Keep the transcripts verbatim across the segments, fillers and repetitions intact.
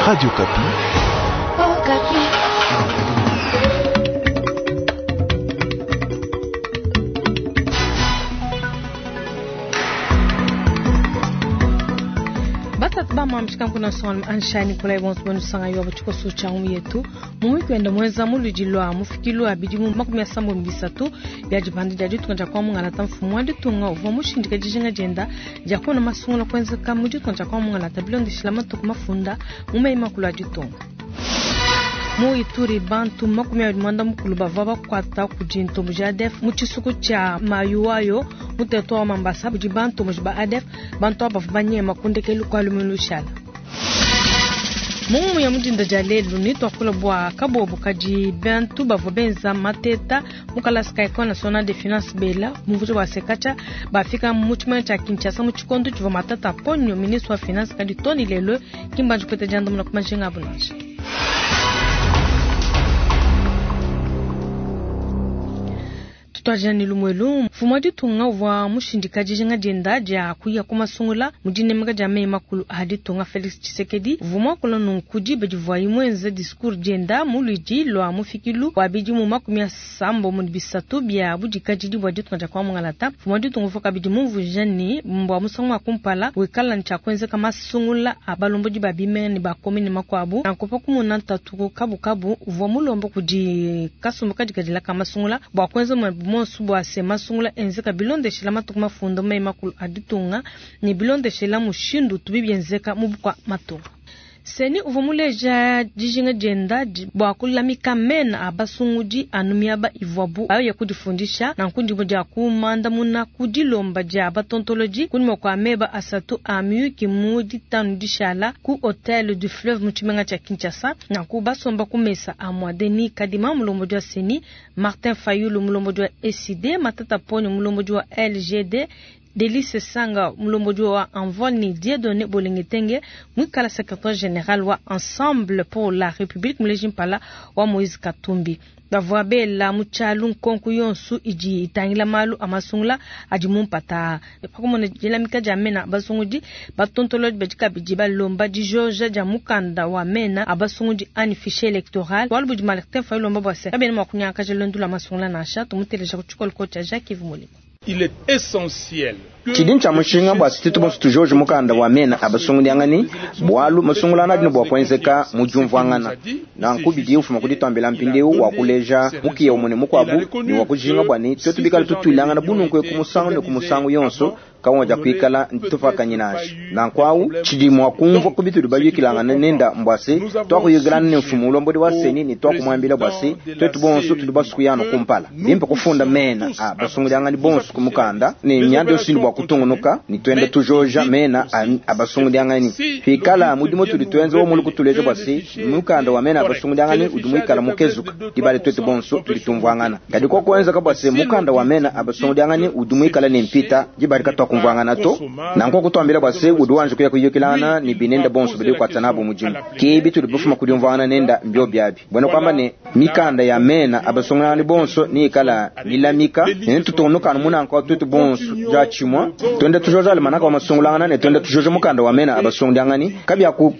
Radio Okapi. Oh, Okapi. Batatu bamamishika kuna son ansha Nikolai bonso bonu yo bachiko cha yetu mu kwenda mweza muludi lwa mufikilu abidi mu makumi asambo mbisatu bya jipande dia ditunga dia kwa mungalata mfumu wa ditunga uvua mushindika dijinga dienda dia kuona masungula kuenzeka mu ditunga dia kwa mungalata bilondeshila matuku mafunda mu meyi makulu a ditunga. Mu Ituri bantu makumi abidi mwanda mukulu bavua bakuata kudi ntombo ja A D F mu tshisuku tshia Mayuayo mu territoire wa Mambasa budi bantombo ba A D F bantu aba bavua banyema kundekelu kwa lumingu lushala. Mungu ya mudinda dia lelu ni twakula bua kabobo kadi bantu bavua benza mateta mu kalasa ka Ecole Nationale de Finance bela muvuji wa sekacha bafika mu tshimana tshia Kinshasa mu tshikondo tshivua matata ponyo ministre wa finance kadi Tony Lelo kimbanji kwete dianda muna kumajinga abu nansha. Twajani lumwelu mfumu wa ditunga uvua mushindika dijinga dienda dia kuya ku masungula mu dinemeka dia meyi makulu a ditunga Felix Tshisekedi uvua muakula nunku diba divuaye muenze discours dienda mu luidi lua mufikilu wa bidimu makumi asambo mu bisatu bia budikadidi bua ditunga dia kwa mungalata. Mfumu wa ditunga uvua kabidi mumvuija ne bua musangu wa kumpala wikala ne tshia kuenzeka masungula a balombodi ba bimenga ne ba komine makuabu nanku pa kumona ntatu kabukabu uvua mulomba kudi kasumbu kadikadila ka masungula bua kuenza monsu bua se masungula enzeka bilondeshela matuku mafunda meyi makulu a ditunga ne bilondeshela mushindu tubi bienzeka mu bukua matunga. Seni uvua muleja dijinga dienda bua kulamika mena a basungudi anu miaba ivuabu baye kudifundisha nanku ndimo dia kumandamuna ku dilomba dia batontolodi kunyima kua meba asatu a miyuki mu ditanu dishala ku Hotel du Fleuve mu tshimenga tshia Kinshasa nanku basomba ku mesa a mua Denis Kadima mulombodi wa Seni, Martin Fayulu mulombodi wa E C D, Matata Ponyo mulombodi wa L G D, Delice Sanga mulombodi wa Envol ni Dieudonné Bolengetenge mwikala secrétaire général wa Ensemble pour la République muleji mpala wa Moïse Katumbi. Bavua bela mu tshialu nkonko yonso idi itangila malu a masungula adi mumpata pakumona dilamika dia mena basungudi batontolodi badi kabidi balomba dijoja dia mukanda wa mena a basungudi ani fichier électoral bualu budi Martin Fayulu ulomba bua se kabena mua kunyangakaja luendu lua masungula nansha. Tumuteleja ku tshikolo tshia Jacques Yves Molimo. Il est essentiel. Tshidi tshia mushinga bua tuetu bonso tujoje mukanda wa mena abasungudiangani bualu masungulana adi ne bua kuenzeka mu diumvuangana nanku bidi ufuma kuditambila mpindieu wa kuleja mukiya umue ne mukuabu ne wa kujinga bua ne tuetu bikale tutuilangana bununku ku musangu ne ku musangu yonso kawaja kuikala ntufakanye nansha nanku awu tshidi mua kumvua ku bitudi bayukilangana nenda mbua se twakuyukilana ne mfumu ulombodi wa seni ne twakumuambila bua se tuetu bonso tudi basukuyano kumpala bimpe kufunda mena a basungudiangani bonso ku mukanda ne mianda yonso bua kutungunuka ni twende tujoja mena abasungudiangani twikala mudimu tudi twenza wo muli kutuleja bua se mukanda wa mena abasungudiangani udi muikala mukezuka dibale tuetu bonso tudi tumvuangana kadi ko kuenzeka bua se mukanda wa mena abasungudiangani udi muikala ne mpita dibale katwakumvuangana to nanku kutwambila bua se udi wanje kuya kuyukilangana ni binenda bonso bidi kukwata nabo mudimu kibi tudi bufuma kudiumvuangana nenda mbio biabi bwena kwamba ne mikanda ya mena abasungudiangani bonso niikala milamika ne tutungunukana munanku tuetu bonso dia tshimua twende tujoja alimanaka wa masungulangana ne twende tujoja mukanda wa mena abasungudiangani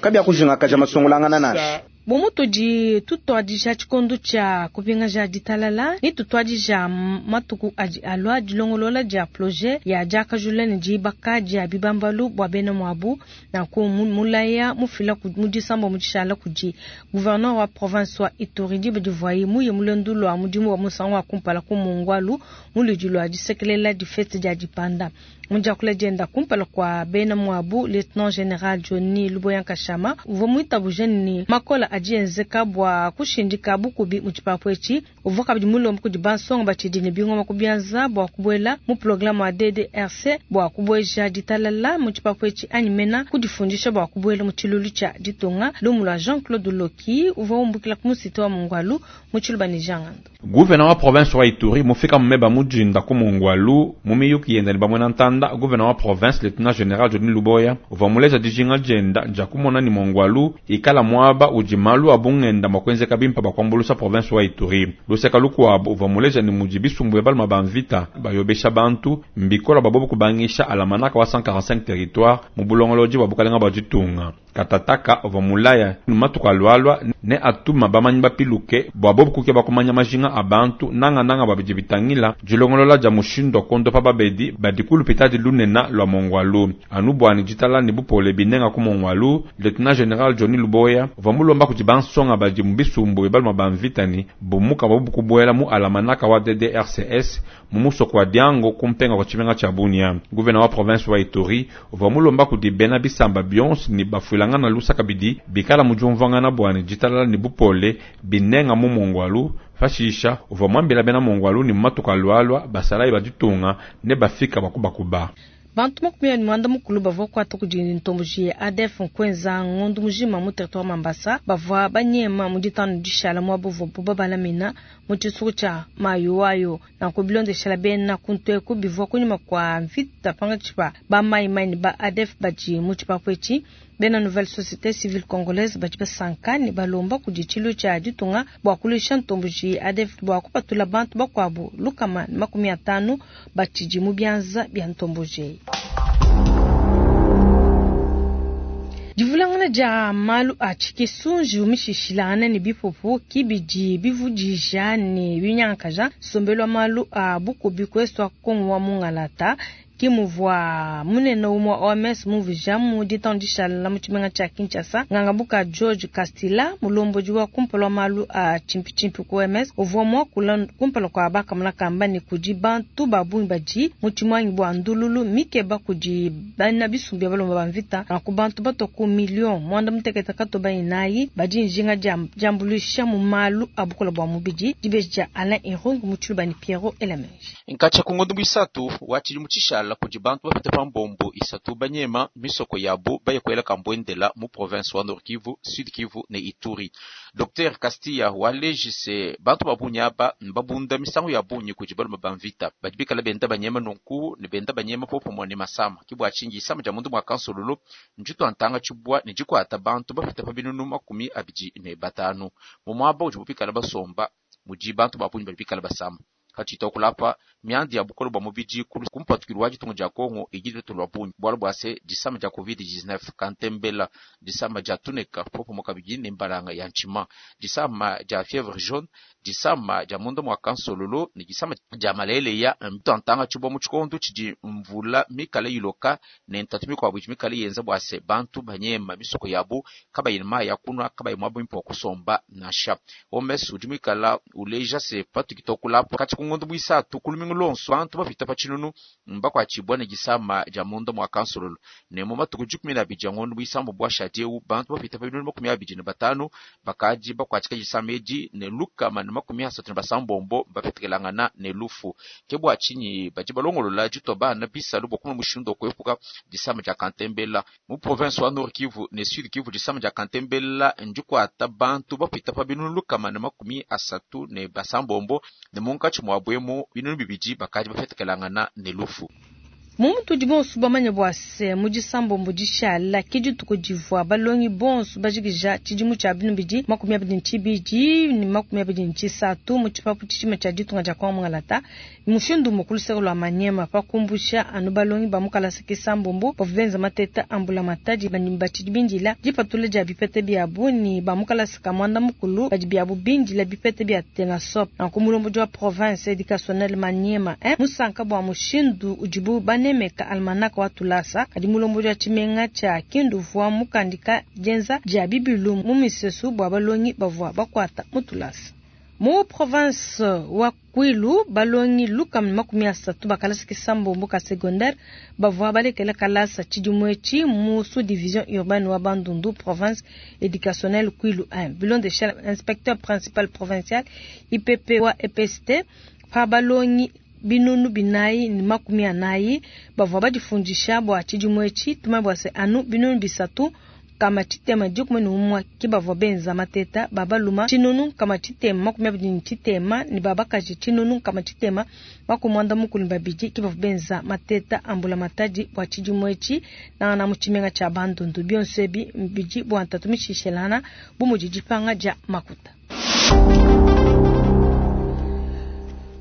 kabia kujingakaja masungulangana nansha. Bomu tudi tutuadija tshikondo tshia kupingaja ditalala ni tutuadija matuku adi alua dilongolola dia projet ya diakajula ne dibaka dia bibambalu bua bena muabu nanku mulaya mufila mu disambo mu dishala kudi gouverneur wa province wa Ituri diba divuaye muye mulendu lua mudimu wa musangu wa kumpala ku Mongwalu mu ludi lua disekelela difete dia dipanda. Mu diakula dienda kumpala kua bena muabu, lieutenant général Johnny Luboya Nkashama uvua muitabuja ni makola adi enzeka bua kushindika bukubi mu tshipapu etshi. Uvua kabidi mulomba kudi bansonga batshidi ne bingoma kubianza bua kubuela mu programme wa D D R C bua kubueja ditalala mu tshipapu etshi anyi mena kudifundisha bua kubuela mu tshilulu tshia ditunga. Lumu lua Jean-Claude Loki uvua umbukila ku musite wa Mongwalu mu tshiluba ne Jean Ngando. Gouverneur wa province wa Ituri mufika mumeba mujinda ku Mongwalu mu miyuki yenda ne bamwe na ntanda. Gouverneur wa province lieutenant général Johnny Luboya uvua muleja dijinga dienda dia kumona ni Mongwalu ikala muaba udi malu a bungenda mua kuenzeka bimpe bakuambuluisha province wa Ituri. Luseka lukuabu uvua muleja ne mudi bisumbu bia baluma ba mvita bayobesha bantu mbikola bua bobu kubangisha alamanaka wa cent quarante-cinq territoire mu bulongolodi bua bukalenga bua ditunga. Katataka uvua mulaya matuku alualua ne atuma bamanyi bapiluke bua bobu kukeba kumanya majinga a bantu nangananga bua bidi bitangila dilongolola dia mushindu wa kuondopa babedi badi ku lupitadi lunene lua Mongwalu. Anu bua ne ditala ne bupole binenga ku Mongwalu, Lieutenant General Johnny Luboya uvua mulomba kudi bansonga badi mu bisumbu bia baluma ba mvita ne bumuka bua bobu kubuela mu alamanaka wa D D R C S mu musoko wa Diango kumpenga kwa tshimenga tshia Bunia. Gouverneur wa province wa Ituri uvua mulomba kudi bena bisamba bionso ne bafuilangana lusaka bidi bikala mu diumvuangana bua ne ditalala ne bupole binenga mu Mongwalu. Pashisha uvua muambila bena Mongwalu ne matuku alualua basalayi ba ditunga ne bafika bakubakuba. Bantu makumi abidi ne muanda mukulu bavua kuata kudi ntomboji ya A D F nkuenza ngondu mujima mu territoire Mambasa bavua banyema mu ditanu dishala muaba uvuabu babalamina mu tshisuku tshia Mayuwayo. Nanku bilondeshela bena kuntu eku bivua kunyima kua mvita pankatshi pa ba maimai ne ba A D F badi mu tshipapu etshi. Bena Nouvelle Société Civile Congolaise badi basanka ne balomba kudi tshilu tshia ditunga bua kuluisha ntomboji ya A D F bua kupatula bantu bakuabu lukama ne makumi atanu batshidi mu bianza bia ntomboji. Divulangana dia malu a tshikisunji umishishilangana ne bipupu kibidi bivudija ne binyankaja nsombelu wa malu a bukubi kweswa Kongo wa Mungalata. Kimuvua munene umwe wa O M S muvija mu ditandisha la mu tshimenga tshia Kinshasa. Ngangabuka George Castilla mulomboji wa kumpala wa malu a chimpichimpi ku O M S uvua muakula kumpala kwa bakamuna kamba ne kudi bantu ba bungi badi mu tshimwangi bua ndululu mikeba kudi bana bisumbu bia balomba ba mvita na ku bantu bato ku million mwanda mutekete katoba inayi badi njinga dia diambuluisha mu malu a bukola bua mubidi. Dibeji dia Alain Irungu mu tshiluba ni Pierrot Elameji. Nkacha ku ngondo muisatu wa tshilimu tshishala kudi bantu bapite pa mbombo isatu banyema misoko yabo bayekwela kambwendela mu province wa Nord Kivu, Sud Kivu ne Ituri. Docteur Castilla walejise bantu babunyi aba mbabunda misango ya bunyi kudi balume ba mvita badi bikala benda banyema nunku ne benda banyema popomwa ne masama kibwa tshingi isama dia mundu mwa kansololo njitu antanga tshibwa ne jikwata bantu bapite pa binunu makumi abidi ne batanu mu mwaba udi bupikala basomba mudi bantu babunyi badi bikala basama. Kachita kulapa miandi ya bukolo bwa mubidi kumpatukirwa wa ditunga dia Kongo igidwe tulwa bunyi bwalo bwa se disama dia covid dix-neuf kantembela disama dia tuneka popo mukabidi ne mbalanga ya nchima disama dia fièvre jaune disama dia mundo mwa kansololo ne disama dia malele ya mtantanga chibwa mu chikondo chidi mvula mikale iloka ne ntatu mikwabu mikale yenza bwa se bantu banyema misoko yabo kabayina ya kunwa kabayi mwabo mpo kusomba nasha omesu udi mikala uleja se patukitokulapa kati ngondo bwisatu kulumingu lonso bantu bapita pa tshinunu mbakwatshibwa ne disama dia munda mwa kansololo ne mu matuku dikumi na abidi ya ngondo bwisambo bwa shadieu bantu bapita pa binunu makumi abidi ne batanu bakaji bakwatshika disama edi ne lukama ne makumi asatu ne basambombo bapetekelangana ne lufu. Ke bua tshinyi badi balongolola ditwa bana bisalu bua kumona mushindu wa kuepuka disama dia kantembela mu province wa Nord Kivu ne Sud Kivu. Disama dia kantembela ndikwata bantu bapita pa binunu lukama ne makumi asatu ne basambombo ne munkatshi mwa bwemo binunu bibidi bakaji bafetekelangana ne lufu. Muntu udi bonso bamanye bua se mu disambombo dishala ke dituku divua balongi bonso bajikija tshidimu tshia binu bidi makumi abidi ne tshibidi ne makumi abidi ne tshisatu mu tshipapu tshishima tshia ditunga dia Kongo Mungalata. Mushindu mukulu seko lwa Maniema pa kumbusha anu balongi ba mu kalasa kisambombo bavua benza mateta ambula matadi bandi batshidi bindila dipatula dia bipete biabu ni ba mu kalasa ka mwanda mukulu badi biabu bindila bipete bia Tenasop. Nanku mulombodi wa province éducationnelle Maniema, eh, musanka bua mushindu udibu bane Meka almanaka wa tulasa kadi mulombodi wa tshimenga tshia Kindu vua mukandika dienza dia bibilu mu misesu bua balongi bavua bakwata mu tulasa. Mu province wa Kwilu balongi luka makumi asatu bakalasa kisambombo ka secondaire bavua balekela kalasa tshidimu etshi mu sous-division urbaine wa Bandundu province éducationnelle Kwilu un. Bilondeshela inspecteur principal provincial I P P wa E P S T pa balongi binunu binayi ni makumi anayi bavua badifundisha bua tshidimu etshi tuma bua se anu binunu bisatu kama tshitema dikumi ne umue ke bavua benza mateta babaluma tshinunu kama tshitema makumi abidi ne tshitema ne babakaji tshinunu kama tshitema makumi muanda mukulu ne babidi ke bavua benza mateta ambula matadi bua tshidimu etshi nangana mu tshimenga tshia Bandundu. Bionso ebi bidi bua ntatu mishishelana bu mudi dipanga dia makuta.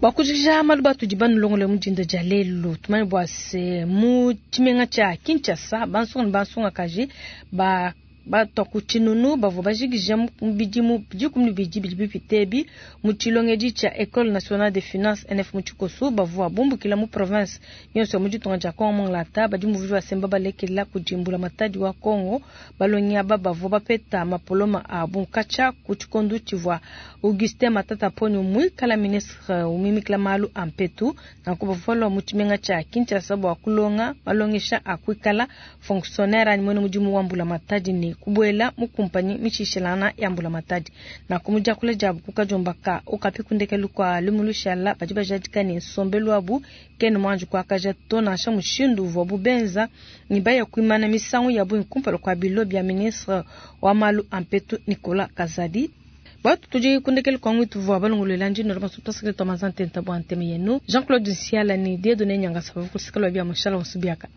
Bua kujikija malu batudi banulongole mu dinda dia lelu, tumanye bua se mu tshimenga tshia Kinshasa bansonga ne bansongakaji ba batua ku tshinunu bavua bajikija mu bidimu dikumi ne bibidi bidi bipite ebi mu tshilongedi tshia Ecole Nationale de Finance N F mu tshikoso bavua bumbukila mu province yonso ya mu ditunga dia Congo Mongalata badi mu basemba balekela kudi mbulamatadi wa Congo balongi aba bavua bapeta mapoloma abu katshia ku tshikondo tshivua Augustin Matata Ponyo muikala ministre umimikila malu a mpetu nanku bavua balua mu tshimenga tshia Kinshasa bua kulonga malongesha a kuikala fonctionnaire anyi muena mudimu wa mbulamatadi ne kubuela mu kumpanyi mishishilana ya mbulamatadi na kumujakula jabu kukajomba ka okapi kundekelu kwa lumu lushala badi bajadika ne nsombelu wabu kene mwanju kwakaja to nansha mushindu uvua bubenza ni baya kuimana misangu yabu nkumpala kwa bilo bya ministre wa malu a mpetu Nicolas Kazadi. Batu tudi kundekelu kwa ngwitu vua balongolola ndino la masuta sekreto mazantenta bwa nteme yenu Jean-Claude Nsiala ni Dieudonné Nyangasa bavukusikala bya mushala wasubiaka.